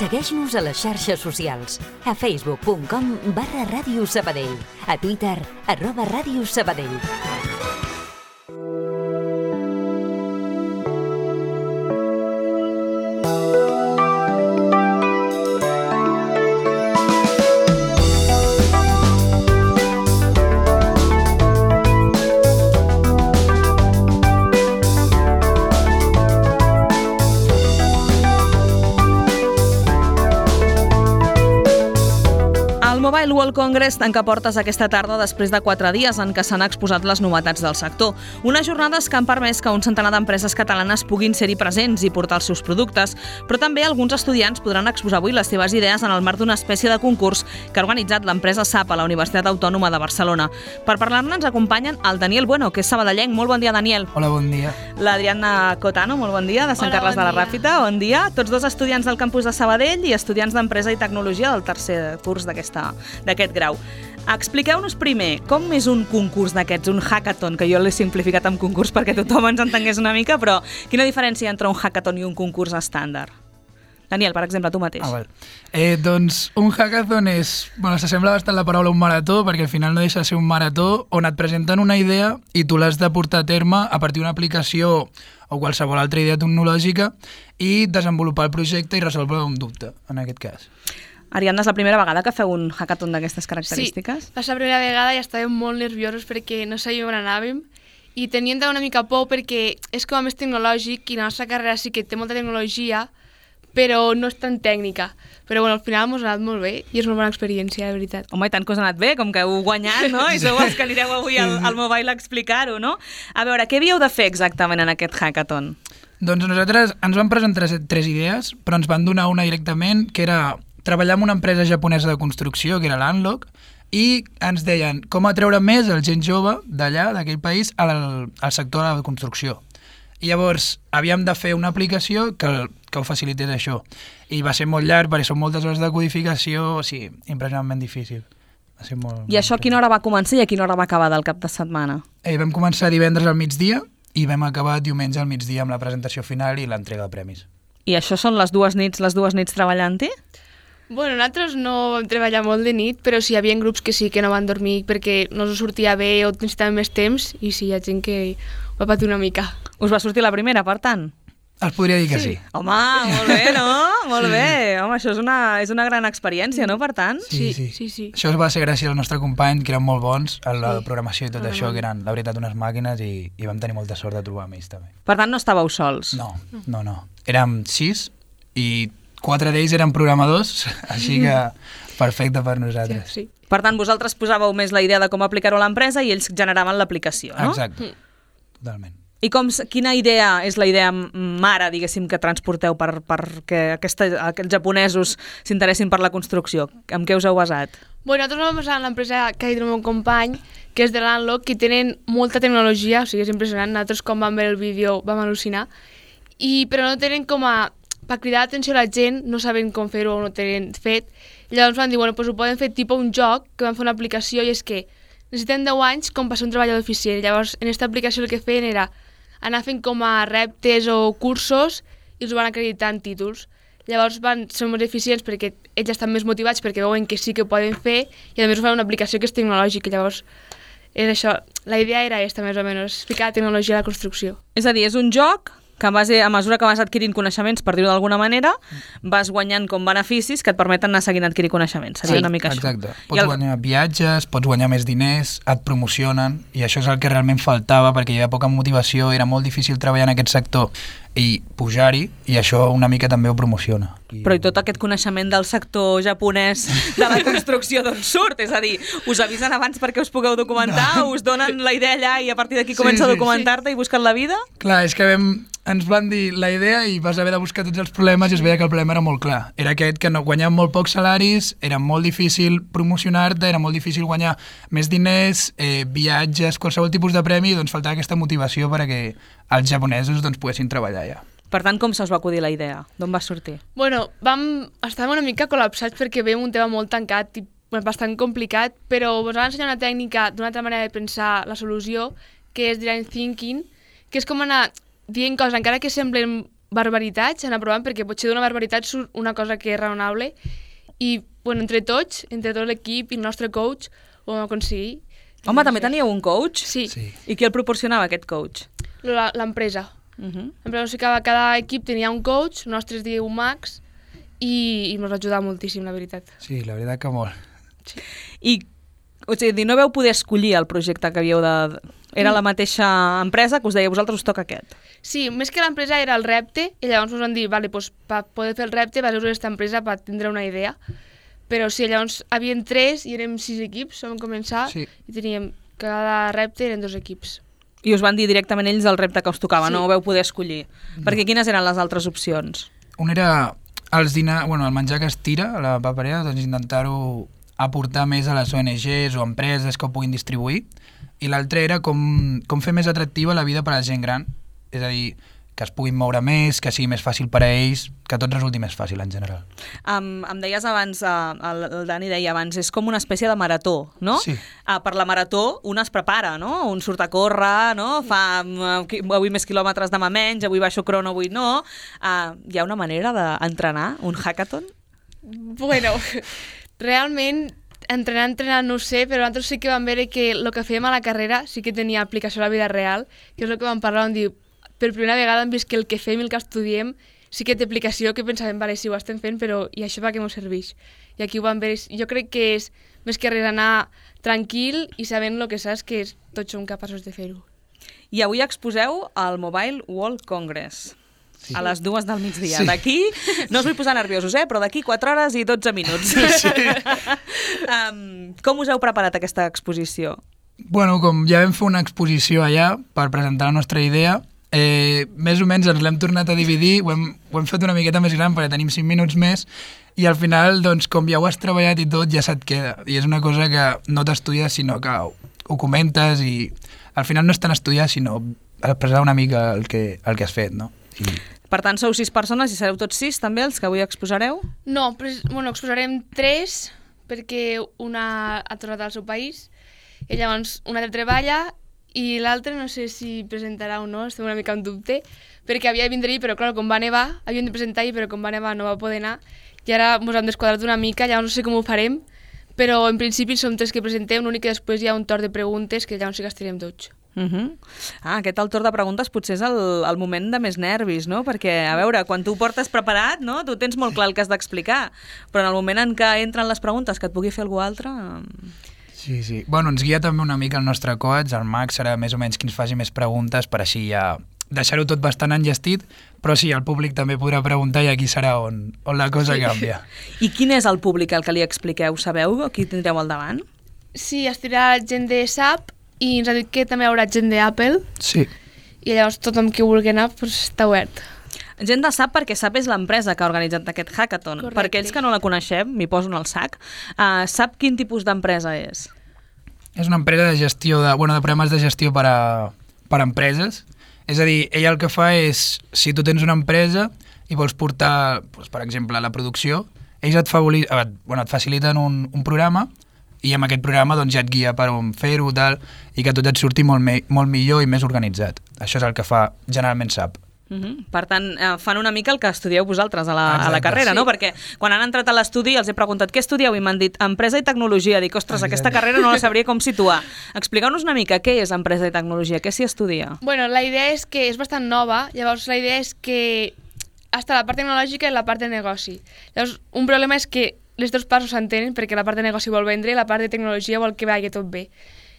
Segueix-nos a les xarxes socials. A facebook.com/Ràdio Sabadell. A Twitter, @Ràdio Sabadell. Mobile World Congress tanca portes aquesta tarda després de 4 dies en què s'han exposat les novetats del sector. Unes jornades que han permès que un centenar d'empreses catalanes puguin ser-hi presents i portar els seus productes, però també alguns estudiants podran exposar avui les seves idees en el marc d'una espècie de concurs que ha organitzat l'empresa SAP a la Universitat Autònoma de Barcelona. Per parlar-ne ens acompanyen el Daniel Bueno, que és sabadellenc. Molt bon dia, Daniel. Hola, bon dia. L'Adriana Cotano, molt bon dia, de Sant Carles de la Ràpita. Bon dia. Tots dos estudiants del campus de Sabadell i estudiants d'Empresa i Tecnologia del tercer curs d'aquest grau. Expliqueu-nos primer, com és un concurs d'aquests, un hackathon, que jo l'he simplificat en concurs perquè tothom ens entengués una mica, però quina diferència hi ha entre un hackathon i un concurs estàndard? Daniel, per exemple, tu mateix. Doncs un hackathon s'assembla bastant la paraula un marató, perquè al final no deixa de ser un marató on et presenten una idea i tu l'has de portar a terme a partir d'una aplicació o qualsevol altra idea tecnològica i desenvolupar el projecte i resoldre un dubte, en aquest cas. Ariadna, és la primera vegada que feu un hackathon d'aquestes característiques? Sí, va ser la primera vegada i estàvem molt nerviosos perquè no sabíem on anàvem i teníem una mica por perquè és com a més tecnològic i la nostra carrera sí que té molta tecnologia, però no és tan tècnica. Però bueno, al final ens ha anat molt bé i és una bona experiència, de veritat. Home, i tant que us ha anat bé, com que heu guanyat, no? I sou els que anireu avui al Mobile a explicar-ho, no? A veure, què havíeu de fer exactament en aquest hackathon? Doncs nosaltres ens van presentar 3 idees, però ens van donar una directament, que era treballar amb una empresa japonesa de construcció, que era l'Unlock, i ens deien com atreure més el gent jove d'allà, d'aquell país, al sector de la construcció. I llavors havíem de fer una aplicació que ho facilités això. I va ser molt llarg, perquè són moltes hores de codificació, sí, impressionantment difícil. Va ser molt... I això a quina hora va començar i a quina hora va acabar del cap de setmana? Vam començar divendres al migdia i vam acabar diumenge al migdia amb la presentació final i l'entrega de premis. I això són les dues nits treballant-hi? Bueno, nosaltres no vam treballar molt de nit, però sí hi havia grups que sí que no van dormir perquè no us sortia bé o necessitaven més temps i sí, hi ha gent que va patir una mica. Us va sortir la primera, per tant? Es podria dir que sí. Home, molt bé, no? Molt bé. Home, això és una gran experiència, no, per tant? Sí. Això va ser gràcies al nostre company, que eren molt bons, a la programació i tot això, que eren, la veritat, unes màquines i vam tenir molta sort de trobar amb ells, també. Per tant, no estàveu sols? No. Érem 6 i 4 d'ells eren programadors, així que perfecte per nosaltres. Sí. Per tant, vosaltres posàveu més la idea de com aplicar-ho a l'empresa i ells generaven l'aplicació, no? Exacte, totalment. I quina idea és la idea mare, diguéssim, que transporteu perquè aquests japonesos s'interessin per la construcció? En què us heu basat? Bueno, nosaltres vam basar en l'empresa que ha dit el meu company, que és de l'Unlock, que tenen molta tecnologia, o sigui, és impressionant. Nosaltres, quan vam veure el vídeo, vam al·lucinar. Però no tenen per cridar l'atenció a la gent, no saben com fer-ho o no tenen fet. I llavors van dir, bueno, doncs ho poden fer tipus un joc, que van fer una aplicació, i és que necessiten 10 anys com per ser un treballador eficient. Llavors, en aquesta aplicació el que feien era anar fent com a reptes o cursos i els van acreditar en títols. Llavors van ser molt eficients perquè ells estan més motivats perquè veuen que sí que ho poden fer i a més ho fan una aplicació que és tecnològica. Llavors, és això. La idea era aquesta, més o menys, explicar la tecnologia a la construcció. És a dir, és un joc que a mesura que vas adquirint coneixements, per dir-ho d'alguna manera, vas guanyant com beneficis que et permeten anar seguint adquirir coneixements. Seria una mica això. Exacte. Pots guanyar viatges, pots guanyar més diners, et promocionen, i això és el que realment faltava, perquè hi havia poca motivació, era molt difícil treballar en aquest sector i pujar-hi, i això una mica també ho promociona. Però i tot aquest coneixement del sector japonès de la construcció d'on surt? És a dir, us avisen abans perquè us pugueu documentar, us donen la idea allà i a partir d'aquí comença a documentar-te i buscar la vida? Clar, és que ens van dir la idea i vas haver de buscar tots els problemes i es veia que el problema era molt clar. Era aquest que no guanyàvem molt pocs salaris, era molt difícil promocionar-te, era molt difícil guanyar més diners, viatges, qualsevol tipus de premi, doncs faltava aquesta motivació perquè els japonesos poguessin treballar allà. Per tant, com se us va acudir la idea? D'on va sortir? Bueno, estàvem una mica col·lapsats perquè veiem un tema molt tancat i bastant complicat, però ens va ensenyar una tècnica d'una altra manera de pensar la solució, que és design thinking, que és com anar dient coses, encara que semblen barbaritats, anar provant, perquè potser d'una barbaritat surt una cosa que és raonable, i entre tot l'equip i el nostre coach ho vam aconseguir. Home, també teníeu un coach? Sí. I qui el proporcionava, aquest coach? L'empresa. L'empresa, o sigui, cada equip tenia un coach, el nostre es diu Max, i ens va ajudar moltíssim, la veritat. Sí, la veritat que molt. Sí. I, o sigui, no veu poder escollir el projecte que havíeu de... Era la mateixa empresa que us deia, vosaltres us toca aquest. Sí, més que l'empresa era el repte, i llavors ens van dir, vale, doncs, per poder fer el repte vas usar aquesta empresa per tindre una idea. Però sí, llavors havien 3 i érem 6 equips, vam començar, Sí. i teníem, cada repte eren 2 equips. I us van dir directament ells el repte que us tocava, Sí. no ho veu poder escollir. Perquè quines eren les altres opcions? Un era el menjar que es tira a la paperera, doncs intentar-ho aportar més a les ONGs o empreses que ho puguin distribuir, i l'altre era com fer més atractiva la vida per a la gent gran, és a dir, que es puguin moure més, que sigui més fàcil per a ells, que tot resulti més fàcil en general. Em deies abans, el Dani deia abans, és com una espècie de marató, no? Sí. Per la marató un es prepara, no? Un surt a córrer, no? Fa avui més quilòmetres, demà menys, avui baixo crono, avui no. Hi ha una manera d'entrenar un hackathon? Bueno, realment, entrenar no ho sé, però nosaltres sí que vam veure que el que fèiem a la carrera sí que tenia aplicació a la vida real, que és el que vam parlar, vam dir, per primera vegada hem vist que el que fem i el que estudiem sí que té aplicació, que pensàvem, vale, sí, ho estem fent, però i això per què m'ho serveix? I aquí ho vam veure. Jo crec que és més que res anar tranquil i sabent el que saps, que tots som capaços de fer-ho. I avui exposeu al Mobile World Congress. Sí. A les 2 del migdia. Sí. D'aquí, no us vull posar nerviosos, però d'aquí 4 hores i 12 minuts. Sí. Com us heu preparat aquesta exposició? Bueno, com ja vam fer una exposició allà per presentar la nostra idea, més o menys ens l'hem tornat a dividir, ho hem fet una miqueta més gran perquè tenim 5 minuts més, i al final, doncs, com ja ho has treballat i tot, ja se't queda. I és una cosa que no t'estudies, sinó que ho comentes, i al final no és tan estudiar, sinó expressar una mica el que has fet, no? I... Per tant, sou 6 persones i sereu tots 6 també els que avui exposareu? No, però, exposarem 3, perquè una ha tornat al seu país, i llavors una altra treballa, i l'altre no sé si presentarà o no, estem una mica en dubte, perquè havia de vindre-hi, però clar, com va nevar, havíem de presentar-hi, però com va nevar no va poder anar, i ara ens hem desquadrat una mica, llavors no sé com ho farem, però en principi som 3 que presentem, l'únic que després hi ha un torn de preguntes, que llavors sí que estarem tots. Aquest al torn de preguntes potser és el moment de més nervis, no? Perquè, a veure, quan tu ho portes preparat, no? Tu tens molt clar el que has d'explicar, però en el moment en què entren les preguntes que et pugui fer algú altre... Sí. Bueno, ens guia també una mica el nostre coach, el Max serà més o menys qui ens faci més preguntes per així ja deixar-ho tot bastant enllestit, però sí, el públic també podrà preguntar i aquí serà on la cosa canvia. I quin és el públic al que li expliqueu? Sabeu qui tindreu al davant? Sí, estirà gent de SAP i ens ha dit que també hi haurà gent d'Apple Sí. i llavors tothom que vulgui anar està obert. Gent de SAP, perquè SAP és l'empresa que ha organitzat aquest hackathon. Correcte. Per aquells que no la coneixem, m'hi poso en el sac, SAP quin tipus d'empresa és? És una empresa de gestió de programes de gestió per a empreses. És a dir, ella el que fa és, si tu tens una empresa i vols portar, doncs, per exemple, la producció, ells et faciliten un programa i amb aquest programa doncs, ja et guia per on fer-ho i que tot et surti molt millor i més organitzat. Això és el que fa generalment SAP. Per tant, fan una mica el que estudieu vosaltres a la carrera, sí. no? Perquè quan han entrat a l'estudi els he preguntat què estudieu i m'han dit empresa i tecnologia. Dic, ostres, aquesta carrera no la sabria com situar. Expliqueu-nos una mica què és empresa i tecnologia, què s'hi estudia? Bueno, la idea és que és bastant nova, llavors la idea és que està la part tecnològica i la part de negoci. Llavors, un problema és que les dues parts s'entenen perquè la part de negoci vol vendre i la part de tecnologia vol que vagi tot bé.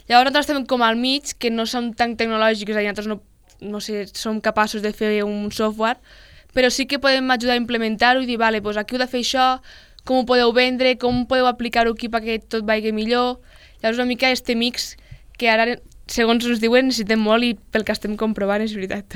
Llavors nosaltres estem com al mig, que no som tan tecnològics, és a dir, nosaltres no sé, som capaços de fer un software, però sí que podem ajudar a implementar-ho i dir, vale, doncs aquí heu de fer això, com ho podeu vendre, com podeu aplicar-ho aquí perquè tot vagi millor. Llavors una mica este mix que ara, segons ens diuen, necessitem molt i pel que estem comprovant és veritat.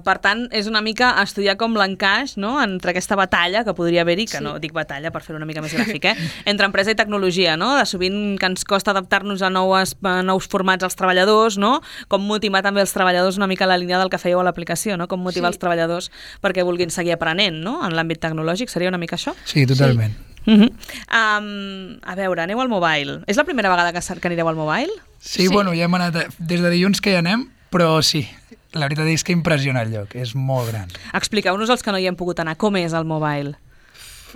Per tant, és una mica estudiar com l'encaix, no?, entre aquesta batalla que podria haver-hi, que Sí. no dic batalla per fer una mica més gràfic, entre empresa i tecnologia, no?, de sovint que ens costa adaptar-nos a nous formats als treballadors, no?, com motivar també els treballadors una mica a la línia del que fèieu a l'aplicació, no?, com motivar els treballadors perquè vulguin seguir aprenent, no?, en l'àmbit tecnològic, seria una mica això? Sí, totalment. A veure, aneu al mobile. És la primera vegada que anireu al mobile? Sí, bueno, ja hem anat, des de dilluns que hi anem, però sí. la veritat és que impressiona el lloc, és molt gran. Expliqueu-nos els que no hi hem pogut anar, com és el Mobile?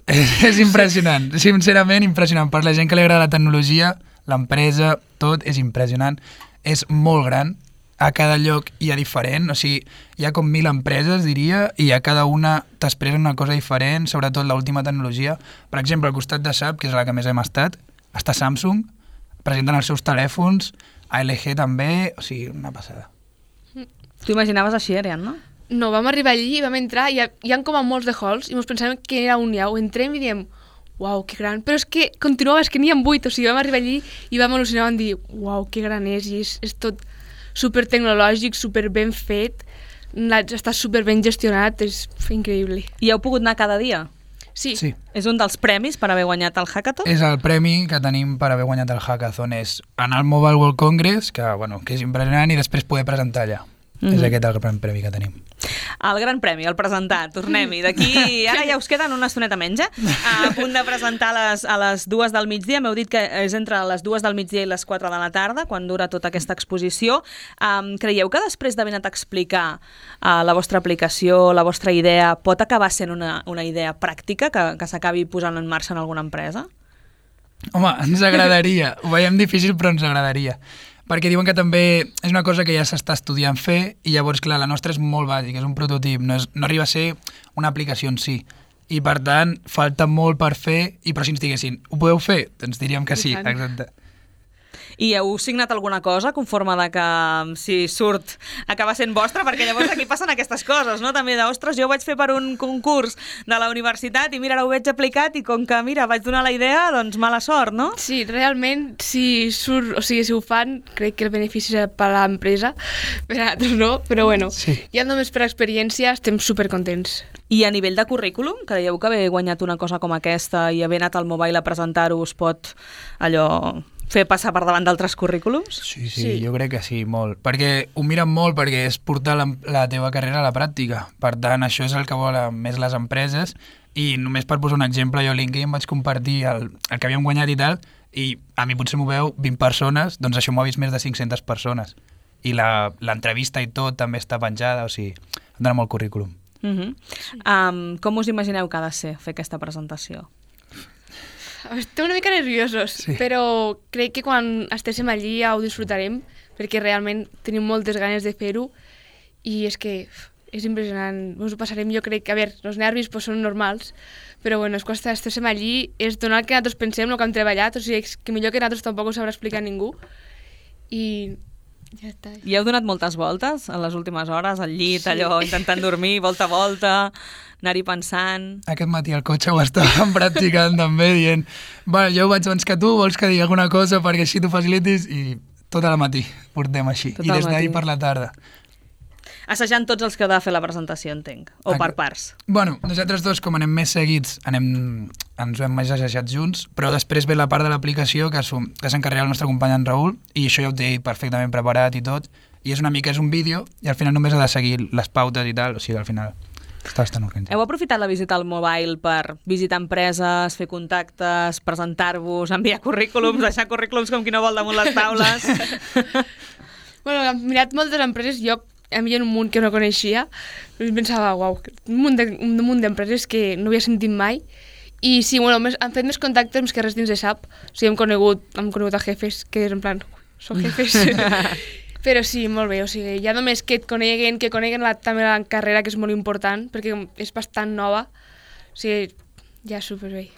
És impressionant, sincerament impressionant. Per la gent que li agrada la tecnologia, l'empresa, tot és impressionant. És molt gran, a cada lloc hi ha diferent, o sigui, hi ha com 1.000 empreses, diria, i a cada una t'expressen una cosa diferent, sobretot l'última tecnologia. Per exemple, al costat de SAP, que és la que més hem estat, està Samsung, presenten els seus telèfons, ALG també, o sigui, una passada. Tu imaginaves així, Ariadna? No, vam arribar allí, vam entrar, hi ha com a molts de halls, i ens pensàvem que era un iau. Entrem i diem, uau, que gran. Però és que continuava, és que n'hi ha 8, o sigui, vam arribar allí i vam al·lucinar, vam dir, uau, que gran és, i és tot super tecnològic, super ben fet, està super ben gestionat, és increïble. I heu pogut anar cada dia? Sí. És un dels premis per haver guanyat el Hackathon? És el premi que tenim per haver guanyat el Hackathon, és anar al Mobile World Congress, que és impressionant, i després poder presentar allà. És aquest el gran premi que tenim. El gran premi, el presentar, tornem-hi. D'aquí, ara ja us queden una estoneta menys, a punt de presentar a les 2 del migdia. M'heu dit que és entre les 2 del migdia i les 4 de la tarda, quan dura tota aquesta exposició. Creieu que després d'haver anat a explicar la vostra aplicació, la vostra idea, pot acabar sent una idea pràctica que s'acabi posant en marxa en alguna empresa? Home, ens agradaria. Ho veiem difícil, però ens agradaria. Perquè diuen que també és una cosa que ja s'està estudiant fer i llavors, clar, la nostra és molt bàsica, és un prototip, no arriba a ser una aplicació en si. I, per tant, falta molt per fer, però si ens diguessin, ho podeu fer? Doncs diríem que sí, exacte. I heu signat alguna cosa conforme de que si surt acaba sent vostra? Perquè llavors aquí passen aquestes coses, no? També de, ostres, jo ho vaig fer per un concurs de la universitat i mira, ara ho veig aplicat i com que, mira, vaig donar la idea, doncs mala sort, no? Sí, realment, si surt, o sigui, si ho fan, crec que el benefici serà per a l'empresa, per a altres no, però bueno, sí. Ja només per experiència estem supercontents. I a nivell de currículum, creieu que haver guanyat una cosa com aquesta i haver anat al Mobile a presentar-ho us pot allò fer passar per davant d'altres currículums? Sí, jo crec que sí, molt. Perquè ho miren molt perquè és portar la teva carrera a la pràctica. Per tant, això és el que volen més les empreses i només per posar un exemple, jo a LinkedIn vaig compartir el que havíem guanyat i tal i a mi potser m'ho veu 20 persones, doncs això m'ho ha vist més de 500 persones. I l'entrevista i tot també està penjada, o sigui, em dona molt currículum. Com us imagineu que ha de ser fer aquesta presentació? Estem una mica nerviosos, sí. Però crec que quan estéssim allí ja ho disfrutarem, perquè realment tenim moltes ganes de fer-ho i és que és impressionant, ens ho passarem, jo crec que, a veure, els nervis pues, són normals, però bueno, és quan estéssim allí, és donar el que nosaltres pensem, el que hem treballat, o sigui, que millor que nosaltres tampoc ho sabrà explicar ningú i ja està. I heu donat moltes voltes a les últimes hores, al llit, sí. Allò, intentant dormir, volta a volta, anar-hi pensant... Aquest matí al cotxe ho estàvem practicant també, dient bueno, jo ho vaig abans que tu, vols que digui alguna cosa perquè així t'ho facilitis? I tot al matí portem així, i des d'ahir per la tarda. Assajant tots els que heu de fer la presentació, entenc, o per parts. Bueno, nosaltres dos, com anem més seguits, ens ho hem més assajat junts, però després ve la part de l'aplicació que s'encarrega el nostre company en Raül, i això ja ho té perfectament preparat i tot, i és una mica, és un vídeo, i al final només ha de seguir les pautes i tal, o sigui, al final està bastant organitzat. Heu aprofitat la visita al Mobile per visitar empreses, fer contactes, presentar-vos, enviar currículums, deixar currículums com qui no vol damunt les taules? Bueno, hem mirat moltes empreses, jo a mi hi ha un munt que no coneixia, i pensava, uau, un munt d'empreses que no havia sentit mai, i sí, bueno, hem fet més contactes més que res dins de SAP, o sigui, hem conegut a jefes, que és en plan, són jefes, però sí, molt bé, o sigui, ja només que et coneguen, també la carrera, que és molt important, perquè és bastant nova, o sigui, ja superbé.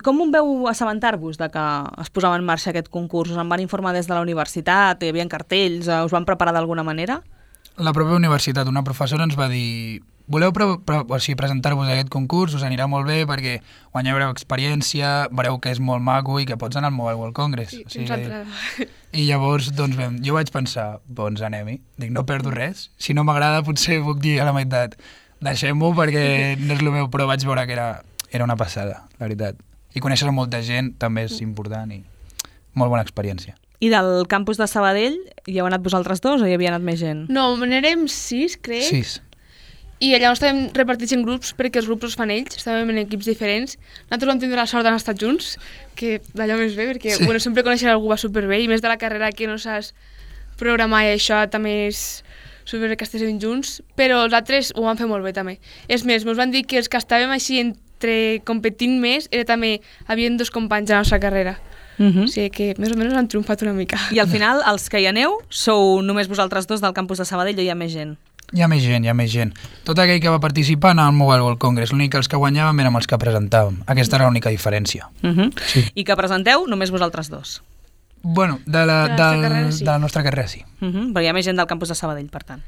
Com veu assabentar-vos de que es posava en marxa aquest concurs? Us en van informar des de la universitat? Hi havia cartells? Us van preparar d'alguna manera? La pròpia universitat, una professora ens va dir voleu presentar-vos a aquest concurs, us anirà molt bé perquè guanyareu experiència, veureu que és molt maco i que pots anar al Mobile World Congress. Sí, I llavors doncs, jo vaig pensar, doncs anem-hi. Dic, no perdo res. Si no m'agrada potser puc dir a la meitat deixem-ho perquè no és el meu, però vaig veure que era una passada, la veritat. I conèixer molta gent també és important i molt bona experiència. I del campus de Sabadell hi heu anat vosaltres dos o hi havia anat més gent? No, n'érem 6, crec. 6. I allà estàvem repartits en grups perquè els grups els fan ells, estàvem en equips diferents. Nosaltres vam tindre la sort d'anar estat junts, que d'allò més bé, perquè sí. Bueno, sempre conèixer algú va superbé i més de la carrera que no saps programar i això també és sobre que estéssim junts, però els altres ho van fer molt bé també. És més, ens van dir que els que estàvem així entre competint més era també, havien 2 companys a la nostra carrera. O sigui que més o menys han triomfat una mica. I al final, els que hi aneu, sou només vosaltres 2 del campus de Sabadell o hi ha més gent? Hi ha més gent. Tot aquell que va participar anava al Mobile World Congress. L'únic que els que guanyàvem érem els que presentàvem. Aquesta era l'única diferència. Sí. I que presenteu només vosaltres 2? Bueno, de la nostra carrera sí. Però hi ha més gent del campus de Sabadell, per tant.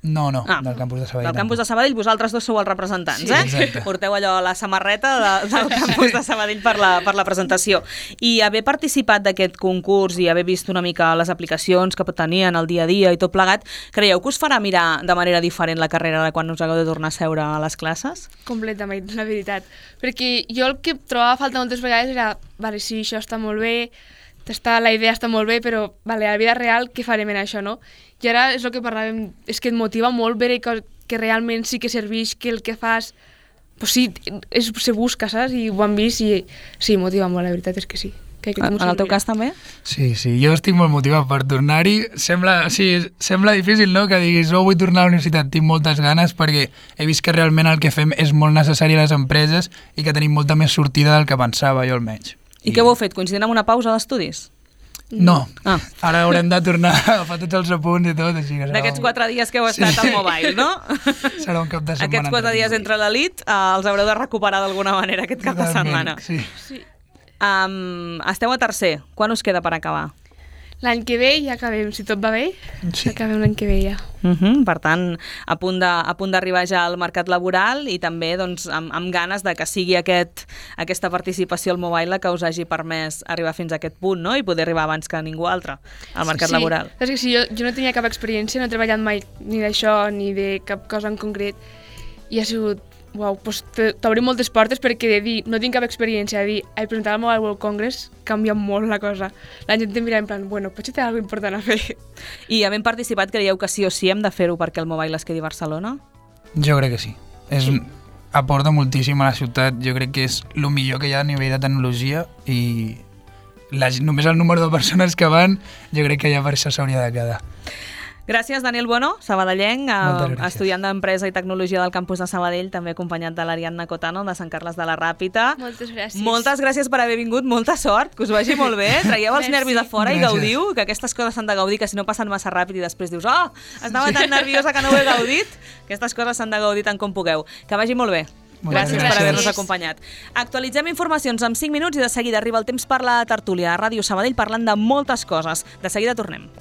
No, del campus de Sabadell. Del campus de Sabadell vosaltres 2 sou els representants, sí, exacte. Porteu allò la samarreta del campus de Sabadell per la presentació. I haver participat d'aquest concurs i haver vist una mica les aplicacions que tenien el dia a dia i tot plegat, creieu que us farà mirar de manera diferent la carrera de quan us hagueu de tornar a seure a les classes? Completament, la veritat. Perquè jo el que trobava a falta moltes vegades era, vale, sí, això està molt bé, la idea està molt bé, però vale, a la vida real què farem en això, no? I ara és el que parlàvem, és que et motiva molt veure que realment sí que serveix, que el que fas, pues sí, se busca, saps? I ho han vist i sí, motiva molt, la veritat és que sí. En el teu cas també? Sí, jo estic molt motivat per tornar-hi. Sembla difícil, no?, que diguis, vull tornar a la universitat, tinc moltes ganes, perquè he vist que realment el que fem és molt necessari a les empreses i que tenim molta més sortida del que pensava, jo almenys. I què ho heu fet? Coincidint amb una pausa d'estudis? No. Ara haurem de tornar a agafar tots els apunts i tot. D'aquests 4 dies que heu estat al Mobile, no? Serà un cap de setmana. Aquests 4 dies entre l'elit els haureu de recuperar d'alguna manera aquest cap de setmana. Sí. Esteu a tercer. Quan us queda per acabar? L'any que ve ja acabem, si tot va bé, acabem l'any que ve ja. Per tant, a punt d'arribar ja al mercat laboral i també doncs, amb ganes de que sigui aquesta participació al Mobile que us hagi permès arribar fins a aquest punt, no? I poder arribar abans que ningú altre al mercat laboral. És que sí, jo no tenia cap experiència, no he treballat mai ni d'això ni de cap cosa en concret i ha sigut doncs t'obrim moltes portes perquè de dir no tinc cap experiència, de dir he presentat al Mobile World Congress canvia molt la cosa. La gent em mira en plan, potser té alguna cosa important a fer. I havent participat, creieu que sí o sí hem de fer-ho perquè el Mobile es quedi a Barcelona? Jo crec que sí. Aporta moltíssim a la ciutat, jo crec que és el millor que hi ha a nivell de tecnologia i només el número de persones que van, jo crec que ja per això s'hauria de quedar. Gràcies, Daniel Bueno, sabadellenc, estudiant d'Empresa i Tecnologia del campus de Sabadell, també acompanyat de l'Ariadna Cotano, de Sant Carles de la Ràpita. Moltes gràcies. Moltes gràcies per haver vingut, molta sort, que us vagi molt bé, traieu els nervis a fora i gaudiu, que aquestes coses s'han de gaudir, que si no passen massa ràpid i després dius, estava tan nerviosa que no ho he gaudit, aquestes coses s'han de gaudir tant com pugueu. Que vagi molt bé. Gràcies per haver-nos acompanyat. Actualitzem informacions en 5 minuts i de seguida arriba el temps per la tertúlia a Ràdio Sabadell parlant de moltes coses. De seguida tornem.